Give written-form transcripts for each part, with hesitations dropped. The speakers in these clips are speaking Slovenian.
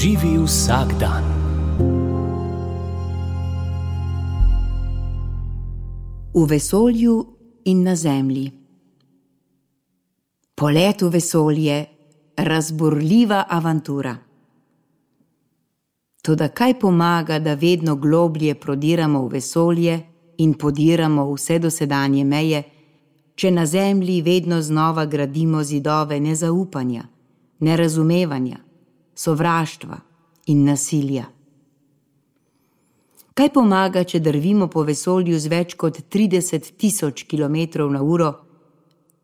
Živi vsak dan. V vesolju in na Zemlji. Polet v vesolje, razburljiva avantura. Toda kaj pomaga, da vedno globlje prodiramo v vesolje in podiramo vse dosedanje meje, če na Zemlji vedno znova gradimo zidove nezaupanja, nerazumevanja, sovraštva in nasilja? Kaj pomaga, če drvimo po vesolju z več kot 30.000 km/h,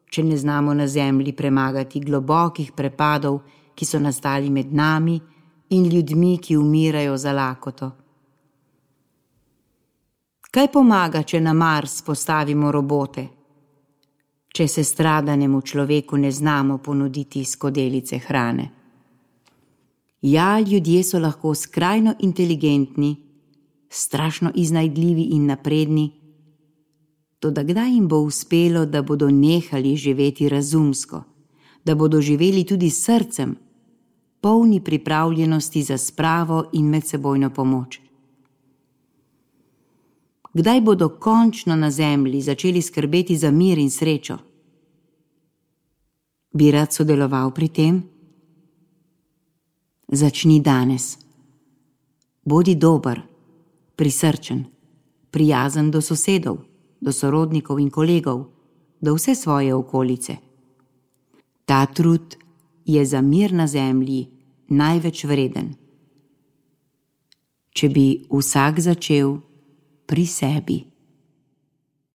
če ne znamo na Zemlji premagati globokih prepadov, ki so nastali med nami in ljudmi, ki umirajo za lakoto? Kaj pomaga, če na Mars postavimo robote, če se stradanemu človeku ne znamo ponuditi skodelice hrane? Ja, ljudje so lahko skrajno inteligentni, strašno iznajdljivi in napredni, toda kdaj jim bo uspelo, da bodo nehali živeti razumsko, da bodo živeli tudi s srcem, polni pripravljenosti za spravo in medsebojno pomoč? Kdaj bodo končno na Zemlji začeli skrbeti za mir in srečo? Bi rad sodeloval pri tem? Začni danes. Bodi dober, prisrčen, prijazen do sosedov, do sorodnikov in kolegov, do vse svoje okolice. Ta trud je za mir na Zemlji največ vreden. Če bi vsak začel pri sebi.